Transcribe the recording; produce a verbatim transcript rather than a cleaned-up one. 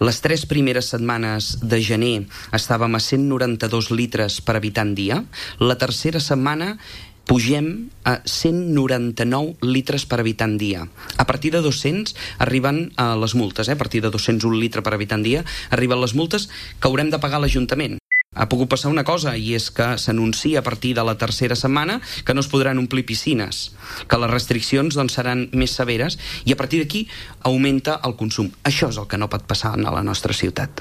Les tres primeres setmanes de gener estàvem a cent noranta-dos litres per habitant dia. La tercera setmana pugem a cent noranta-nou litres per habitant dia. A partir de dos-cents arriben a les multes, eh? a partir de dos-cents un litre per habitant dia arriben les multes que haurem de pagar a l'Ajuntament. Ha pogut passar una cosa, i és que s'anuncia a partir de la tercera setmana que no es podran omplir piscines, que les restriccions doncs, seran més severes, i a partir d'aquí augmenta el consum. Això és el que no pot passar a la nostra ciutat.